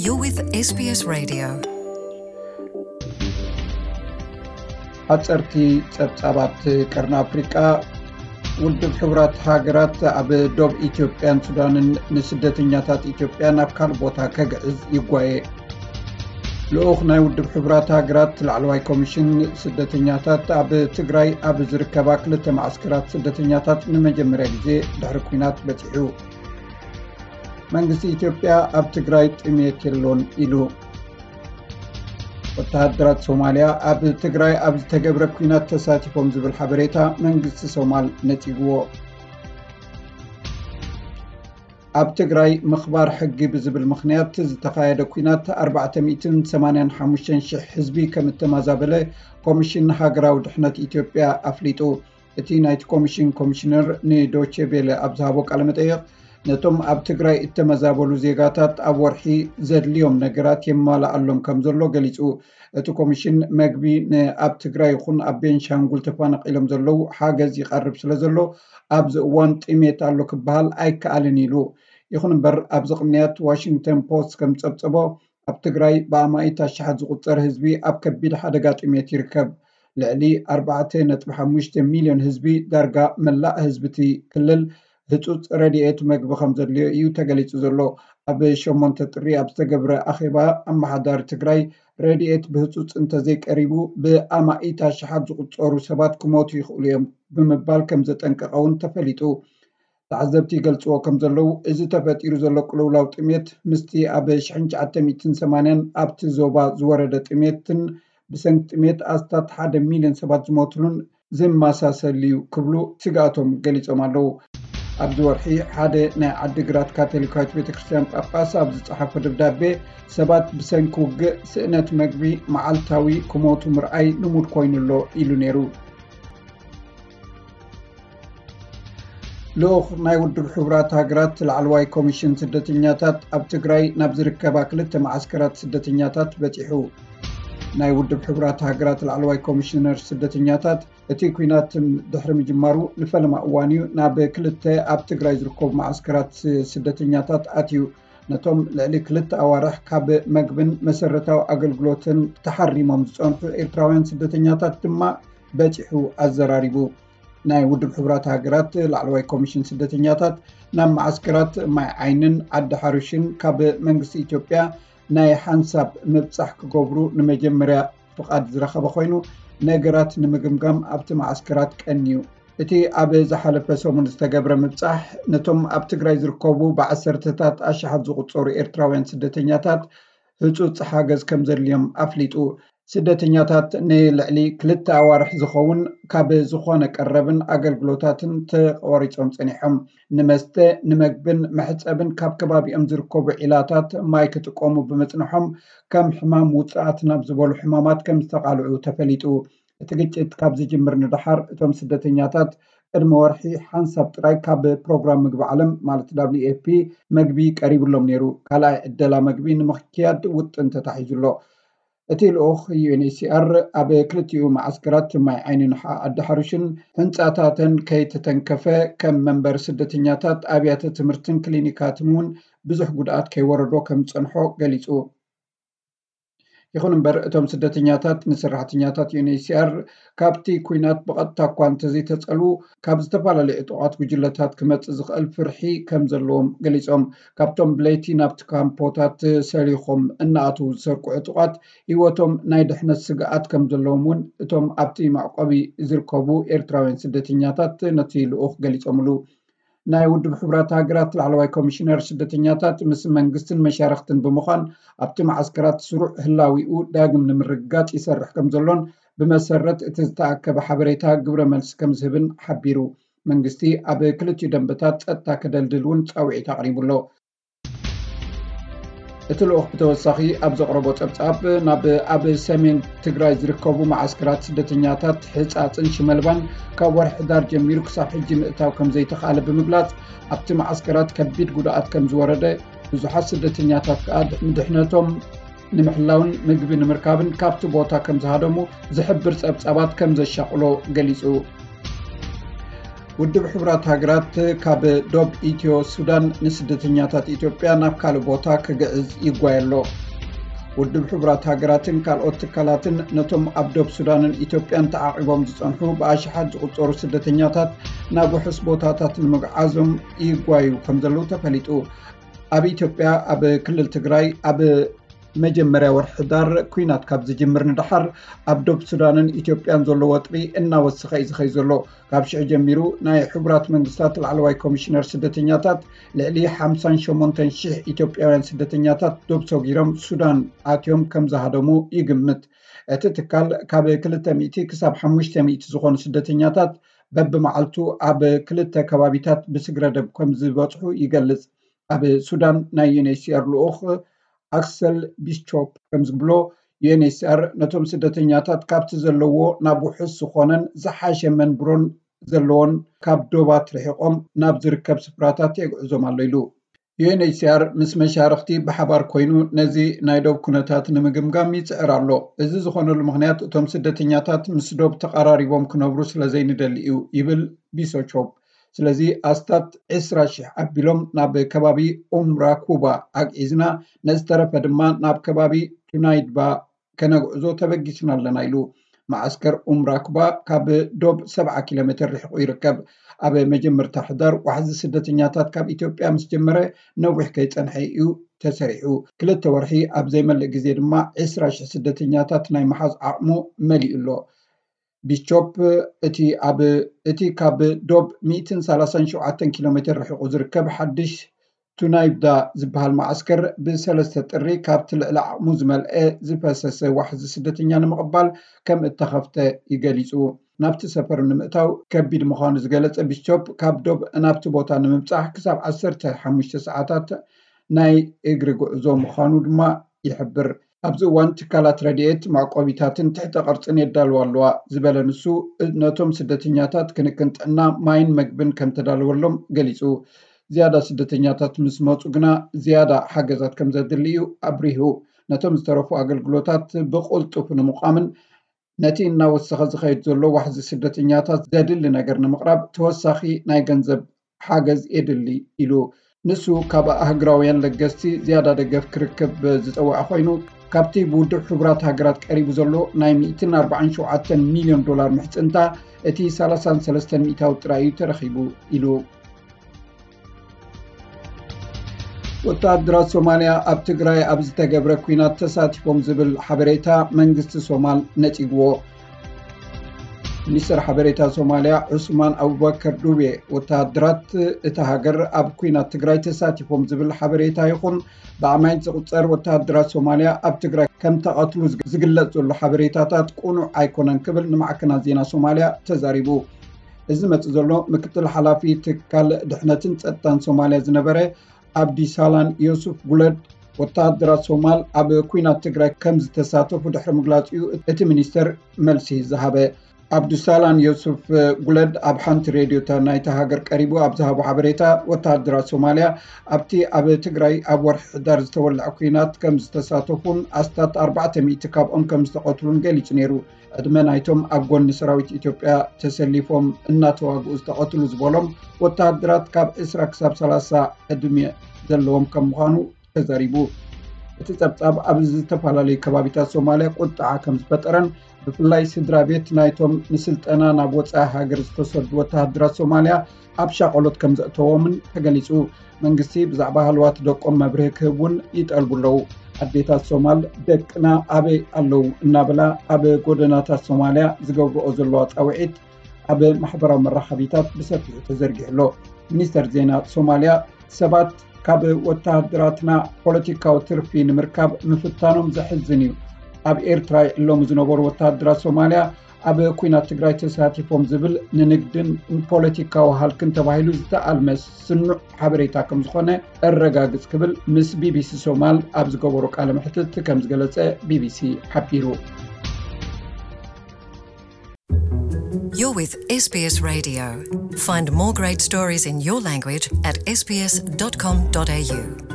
You're with S B S Radio. ሓፀርቲ ፀብፃባት ቀርኒ ኣፍሪቃ። ውድብ ሕቡራት ሃገራት ኣብ ዶብ ኢትዮጵያን ሱዳንን ንስደተኛታት ኢትዮጵያ ናብ ካልእ ቦታ ከግዕዝ ይጓየ። ልኡኽ ናይ ውድብ ሕቡራት ሃገራት ላዕለዋይ ኮሚሽን ስደተኛታት ኣብ ትግራይ ኣብ ዝርከባ ክልተ ማዕስከራት ስደተኛታት ንመጀመርያ ግዜ ድሕሪ ኲናት በፂሑ። መንግስቲ ኢትዮጵያ ኣብ ትግራይ ጥሜት የሎን ኢሉ። ወተሃደራት ሶማልያ ኣብ ትግራይ ኣብ ዝተገብረ ኲናት ተሳቲፎም ዝብል ሓበሬታ መንግስቲ ሶማል ነጺግዎ። ኣብ ትግራይ ምኽባር ሕጊ ብዝብል ምኽንያት ዝተኻየደ ኲናት ኣርባዕተ ሚእትን ሰማንያን ሓሙሽተን ሽሕ ህዝቢ ከም እተመዛበለ ኮሚሽን ሃገራዊ ድሕነት ኢትዮጵያ ኣፍሊጡ። እቲ ናይቲ ኮሚሽን ኮሚሽነር ንዶቼ ቬለ ኣብ ዝሃቦ ቃለ መጠይቕ፣ ነቶም ኣብ ትግራይ እተመዛበሉ ዜጋታት ኣብ ወርሒ ዘድልዮም ነገራት የማልኣሎም ከም ዘሎ ገሊጹ። እቲ ኮሚሽን መግቢ ንኣብ ትግራይ ይኹን ኣብ ቤንሻንጉል ተፈናቒሎም ዘለዉ ሓገዝ ይቐርብ ስለ ዘሎ ኣብዚ እዋን ጥሜት ኣሎ ክበሃል ኣይከኣልን ኢሉ። ይኹን እምበር ኣብዚ ቅንያት ዋሽንግተን ፖስት ከም ዝጸብጸቦ ኣብ ትግራይ ብኣማኢት ኣሽሓት ዝቑጸር ህዝቢ ኣብ ከቢድ ሓደጋ ጥሜት ይርከብ። ልዕሊ ኣርባዕተ ነጥቢ ሓሙሽተ ሚልዮን ህዝቢ ዳርጋ መላእ ህዝቢ እቲ ክልል ህጹጽ ረድኤት መግቢ ከም ዘድልዮ እዩ ተገሊጹ ዘሎ። ኣብ ሸሞንተ ጥሪ ኣብ ዝተገብረ ኣኼባ ኣመሓዳሪ ትግራይ ረድኤት ብህጹጽ እንተዘይቀሪቡ ብኣማኢት ኣሽሓት ዝቑጸሩ ሰባት ክሞቱ ይኽእሉ እዮም ብምባል ከም ዘጠንቀቐ እውን ተፈሊጡ። ተዓዘብቲ ይገልጽዎ ከም ዘለዉ እዚ ተፈጢሩ ዘሎ ቅልውላው ጥሜት ምስቲ ኣብ ሽሕን ትሽዓተ ሚእትን ሰማንያን ኣብቲ ዞባ ዝወረደ ጥሜትን ብሰንኪ ጥሜት ኣስታት ሓደ ሚልዮን ሰባት ዝሞትሉን ዝመሳሰል እዩ ክብሉ ስግኣቶም ገሊጾም ኣለዉ። ኣብዚ ወርሒ ሓደ ናይ ዓዲግራት ካቶሊካዊት ቤተ ክርስቲያን ጳጳስ ኣብ ዝጸሓፎ ደብዳቤ ሰባት ብሰንኪ ውግእ ስእነት መግቢ መዓልታዊ ክሞቱ ምርኣይ ልሙድ ኮይኑ ኣሎ ኢሉ ነይሩ። ልኡኽ ናይ ውድብ ሕቡራት ሃገራት ላዕለዋይ ኮሚሽን ስደተኛታት ኣብ ትግራይ ናብ ዝርከባ ክልተ መዓስከራት ስደተኛታት በፂሑ። ናይ ውድብ ሕቡራት ሃገራት ላዕለዋይ ኮሚሽነር ስደተኛታት እቲ ኲናት ድሕሪ ምጅማሩ ንፈለማ እዋን እዩ ናብ ክልተ ኣብ ትግራይ ዝርከቡ መዓስከራት ስደተኛታት ኣትዩ። ነቶም ልዕሊ ክልተ ኣዋርሕ ካብ መግብን መሰረታዊ ኣገልግሎትን ተሓሪሞም ዝጸንሑ ኤርትራውያን ስደተኛታት ድማ በጺሑ ኣዘራሪቡ። ናይ ውድብ ሕቡራት ሃገራት ላዕለዋይ ኮሚሽን ስደተኛታት ናብ መዓስከራት ማይ ዓይንን ዓዲ ሓሩሽን ካብ መንግስቲ ኢትዮጵያ ናይ ሓንሳብ ምብጻሕ ክገብሩ ንመጀመርያ ፍቓድ ዝረኸበ ኮይኑ ነገራት ንምግምጋም ኣብቲ መዓስከራት ቀንዩ። እቲ ኣብ ዝሓለፈ ሰሙን ዝተገብረ ምብጻሕ ነቶም ኣብ ትግራይ ዝርከቡ ብዓሰርተታት ኣሽሓት ዝቑጸሩ ኤርትራውያን ስደተኛታት ህጹጽ ሓገዝ ከም ዘድልዮም ኣፍሊጡ። ስደተኛታት ንልዕሊ ክልተ ኣዋርሕ ዝኸውን ካብ ዝኾነ ቀረብን ኣገልግሎታትን ተቖሪጾም ጸኒሖም። ንመስተ፣ ንመግብን መሕጸብን ካብ ከባቢኦም ዝርከቡ ዒላታት ማይ ክጥቀሙ ብምጽንሖም ከም ሕማም ውጽኣት ናብ ዝበሉ ሕማማት ከም ዝተቓልዑ ተፈሊጡ። እቲ ግጭት ካብ ዝጅምር ንደሓር እቶም ስደተኛታት ቅድሚ ወርሒ ሓንሳብ ጥራይ ካብ ፕሮግራም ምግቢ ዓለም ማለት ዳብሊዩ ኤፍ ፒ መግቢ ቀሪብሎም ነይሩ። ካልኣይ ዕደላ መግቢ ንምክያድ ውጥን ተታሒዙ ኣሎ። እቲ ልኡኽ ዩ ኤን ኤች ሲ ኣር ኣብ ክልቲኡ መዓስከራት ማይ ዓይንን ሓ- ዓዲ ሓሩሽን ህንጻታተን ከይተተንከፈ ከም መንበሪ ስደተኛታት ኣብያተ ትምህርትን ክሊኒካትን እውን ብዙሕ ጉድኣት ከይወረዶ ከም ዝጸንሖ ገሊጹ። ይኹን እምበር እቶም ስደተኛታት ንሰራሕተኛታት ዩ ኤን ኤች ሲ ኣር ካብቲ ኲናት ብቐጥታ እኳ እንተዘይተጸልዉ ካብ ዝተፈላለዩ ዕጡቓት ጉጅለታት ክመጽእ ዝኽእል ፍርሒ ከም ዘለዎም ገሊጾም። ካብቶም ብለይቲ ናብቲ ካምፖታት ሰሊኾም እናኣተዉ ዝሰርቁ ዕጡቓት ህይወቶም ናይ ድሕነት ስግኣት ከም ዘለዎም እውን እቶም ኣብቲ መዕቆቢ ዝርከቡ ኤርትራውያን ስደተኛታት ነቲ ልኡኽ ገሊጾምሉ። ናይ ውድብ ሕቡራት ሃገራት ላዕለዋይ ኮሚሽነር ስደተኛታት ምስ መንግስትን መሻርኽትን ብምዃን ኣብቲ መዓስከራት ስሩዕ ህላዊኡ ዳግም ንምርግጋጽ ይሰርሕ ከም ዘሎን ብመሰረት እቲ ዝተኣከበ ሓበሬታ ግብረ መልሲ ከም ዝህብን ሓቢሩ። መንግስቲ ኣብ ክልቲኡ ደንበታት ጸጥታ ከደልድል እውን ጻውዒት ኣቕሪቡ ኣሎ። እቲ ልኡኽ ብተወሳኺ ኣብ ዘቕረቦ ጸብጻብ ናብ ኣብ ሰሜን ትግራይ ዝርከቡ መዓስከራት ስደተኛታት ሕጻጽን ሽመልባን ካብ ወርሒ ሕዳር ጀሚሩ ክሳብ ሕጂ ምእታው ከም ዘይተኻእለ ብምግላጽ ኣብቲ መዓስከራት ከቢድ ጉድኣት ከም ዝወረደ ብዙሓት ስደተኛታት ከኣ ምድሕነቶም ንምሕላውን ምግቢ ንምርካብን ካብቲ ቦታ ከም ዝሃደሙ ዝሕብር ጸብጻባት ከም ዘሻቕሎ ገሊጹ። ውድብ ሕቡራት ሃገራት ካብ ዶብ ኢትዮ ሱዳን ንስደተኛታት ኢትዮጵያ ናብ ካልእ ቦታ ክግዕዝ ይጓየ ኣሎ። ውድብ ሕቡራት ሃገራትን ካልኦት ትካላትን ነቶም ኣብ ዶብ ሱዳንን ኢትዮጵያን ተዓቒቦም ዝጸንሑ ብኣሽሓት ዝቑጸሩ ስደተኛታት ናብ ውሑስ ቦታታት ንምግዓዞም ይጓዩ ከም ዘለዉ ተፈሊጡ። ኣብ ኢትዮጵያ ኣብ ክልል ትግራይ ኣብ መጀመርያ ወርሒ ሕዳር ኲናት ካብ ዝጅምር ንደሓር ኣብ ዶብ ሱዳንን ኢትዮጵያን ዘሎ ወጥሪ እናወሰኸ እዩ ዝኸይ ዘሎ። ካብ ሽዑ ጀሚሩ ናይ ሕቡራት መንግስታት ላዕለዋይ ኮሚሽነር ስደተኛታት ልዕሊ ሓምሳን ሸሞንተን ሽሕ ኢትዮጵያውያን ስደተኛታት ዶብ ሰጊሮም ሱዳን ኣትዮም ከም ዝሃደሙ ይግምት። እቲ ትካል ካብ ክልተ ሚእቲ ክሳብ ሓሙሽተ ሚእቲ ዝኾኑ ስደተኛታት በብመዓልቱ ኣብ ክልተ ከባቢታት ብስግረደብ ከም ዝበጽሑ ይገልጽ። ኣብ ሱዳን ናይ ዩኤንኤችሲኣር ልኡኽ ኣክሰል ቢስቾፕ ከም ዝብሎ፣ ዩኤንኤችሲኣር ነቶም ስደተኛታት ካብቲ ዘለዎ ናብ ውሑስ ዝኾነን ዝሓሸ መንብሮን ዘለዎን ካብ ዶባት ርሒቖም ናብ ዝርከብ ስፍራታት የግዕዞም ኣሎ ኢሉ። ዩኤንኤችሲኣር ምስ መሻርኽቲ ብሓባር ኮይኑ ነዚ ናይ ዶብ ኩነታት ንምግምጋም ይጽዕር ኣሎ። እዚ ዝኾነሉ ምኽንያት እቶም ስደተኛታት ምስ ዶብ ተቐራሪቦም ክነብሩ ስለ ዘይንደሊ እዩ ይብል ቢሶቾፕ። ስለዚ ኣስታት ዕስራ ሽሕ ኣቢሎም ናብ ከባቢ ኡምራኩባ ኣግዒዝና፣ ነዝተረፈ ድማ ናብ ከባቢ ቱናይድባ ከነግዕዞ ተበጊስና ኣለና ኢሉ። መዓስከር ኡምራኩባ ካብ ዶብ ሰብዓ ኪሎ ሜትር ርሒቑ ይርከብ። ኣብ መጀመርታ ሕዳር ዋሕዚ ስደተኛታት ካብ ኢትዮጵያ ምስ ጀመረ ነዊሕ ከይጸንሐ እዩ ተሰሪሑ። ክልተ ወርሒ ኣብ ዘይመልእ ግዜ ድማ ዕስራ ሽሕ ስደተኛታት ናይ ምሓዝ ዓቕሙ መሊኡ ኣሎ። ቢስቾፕ እቲ ኣብ እቲ ካብ ዶብ ሚእትን ሰላሳን ሸውዓተን ኪሎ ሜትር ርሒቑ ዝርከብ ሓድሽ ቱናይብዳ ዝበሃል መዓስከር ብሰለስተ ጥሪ ካብቲ ልዕሊ ዓቕሙ ዝመልአ ዝፈሰሰ ዋሕዚ ስደተኛ ንምቕባል ከም እተኸፍተ ይገሊጹ። ናብቲ ሰፈር ንምእታው ከቢድ ምዃኑ ዝገለጸ ቢስቾፕ፣ ካብ ዶብ ናብቲ ቦታ ንምብጻሕ ክሳብ ዓሰርተ ሓሙሽተ ሰዓታት ናይ እግሪ ጉዕዞ ምዃኑ ድማ ይሕብር። ኣብዚ እዋን ትካላት ረድኤት መዕቆቢታትን ትሕተ ቅርጽን የዳልዋ ኣለዋ ዝበለ ንሱ፣ ነቶም ስደተኛታት ክንክን ጥዕና፣ ማይን መግብን ከም ተዳለወሎም ገሊጹ። ዝያዳ ስደተኛታት ምስ መጹ ግና ዝያዳ ሓገዛት ከም ዘድሊ እዩ ኣብሪሁ። ነቶም ዝተረፉ ኣገልግሎታት ብቕልጡፍ ንምቋምን ነቲ እናወሰኸ ዝኸይድ ዘሎ ዋሕዚ ስደተኛታት ዘድሊ ነገር ንምቕራብ ተወሳኺ ናይ ገንዘብ ሓገዝ የድሊ ኢሉ። ንሱ ካብ ኣህግራውያን ለገስቲ ዝያዳ ደገፍ ክርክብ ዝጸውዐ ኮይኑ፣ ካብቲ ብውድብ ሕቡራት ሃገራት ቀሪቡ ዘሎ ናይ ሚእትን ኣርባዓን ሸውዓተን ሚልዮን ዶላር ምሕጽንታ እቲ ሰላሳን ሰለስተን ሚእታዊ ጥራይ እዩ ተረኺቡ ኢሉ። ወተሃደራት ሶማልያ ኣብ ትግራይ ኣብ ዝተገብረ ኲናት ተሳቲፎም ዝብል ሓበሬታ መንግስቲ ሶማል ነጺግዎ። ሚኒስትር ሓበሬታ ሶማልያ ዑስማን ኣቡበከር ዱቤ፣ ወተሃደራት እታ ሃገር ኣብ ኲናት ትግራይ ተሳቲፎም ዝብል ሓበሬታ ይኹን ብኣማይት ዝቑጸር ወተሃደራት ሶማልያ ኣብ ትግራይ ከም ተቐትሉ ዝግለጽ ዘሎ ሓበሬታታት ቅኑዕ ኣይኮነን ክብል ንማዕከናት ዜና ሶማልያ ተዛሪቡ። እዚ መጽእ ዘሎ ምክትል ሓላፊ ትካል ድሕነትን ጸጥታን ሶማልያ ዝነበረ ኣብዲሳላን ዮሱፍ ጉለድ፣ ወተሃደራት ሶማል ኣብ ኲናት ትግራይ ከም ዝተሳተፉ ድሕሪ ምግላጽ እዩ እቲ ሚኒስተር መልሲ ዝሃበ። ኣብዱሳላን ዮሱፍ ጉለድ ኣብ ሓንቲ ሬድዮ ናይታ ሃገር ቀሪቡ ኣብ ዝሃቦ ሓበሬታ፣ ወተሃደራት ሶማልያ ኣብቲ ኣብ ትግራይ ኣብ ወርሒ ሕዳር ዝተወልዐ ኲናት ከም ዝተሳተፉን ኣስታት ኣርባዕተ ሚእቲ ካብኦም ከም ዝተቐትሉን ገሊጹ ነይሩ። ዕድመ ናይቶም ኣብ ጎኒ ሰራዊት ኢትዮጵያ ተሰሊፎም እናተዋግኡ ዝተቐትሉ ዝበሎም ወተሃደራት ካብ ዕስራ ክሳብ ሰላሳ ዕድመ ዘለዎም ከም ምዃኑ ተዛሪቡ። እቲ ጸብጻብ ኣብ ዝተፈላለዩ ከባቢታት ሶማልያ ቁጥዓ ከም ዝፈጠረን ብፍላይ ስድራ ቤት ናይቶም ንስልጠና ናብ ወጻኢ ሃገር ዝተሰዱ ወተሃደራት ሶማልያ ኣብ ሻቐሎት ከም ዘእተዎምን ተገሊጹ። መንግስቲ ብዛዕባ ሃለዋት ደቆም መብርሂ ክህብ እውን ይጠልቡ ኣለዉ። ኣዴታት ሶማል ደቅና ኣበይ ኣለዉ እናበላ ኣብ ጎደናታት ሶማልያ ዝገብርኦ ዘለዋ ጻውዒት ኣብ ማሕበራዊ መራኸቢታት ብሰፊሑ ተዘርጊሑ ኣሎ። ሚኒስተር ዜና ሶማልያ ሰባት ካብ ወተሃደራትና ፖለቲካዊ ትርፊ ንምርካብ ምፍታኖም ዘሕዝን እዩ። ኣብ ኤርትራ ይዕለሙ ዝነበሩ ወተሃደራት ሶማልያ ኣብ ኲናት ትግራይ ተሳቲፎም ዝብል ንንግድን ንፖለቲካዊ ሃልክን ተባሂሉ ዝተኣልመ ስኑዕ ሓበሬታ ከም ዝኾነ እረጋግጽ ክብል ምስ ቢቢሲ ሶማል ኣብ ዝገበሮ ቃለ መሕትት ከም ዝገለጸ ቢቢሲ ሓቢሩ። You're with S B S Radio. Find more great stories in your language at S B S dot com dot A U.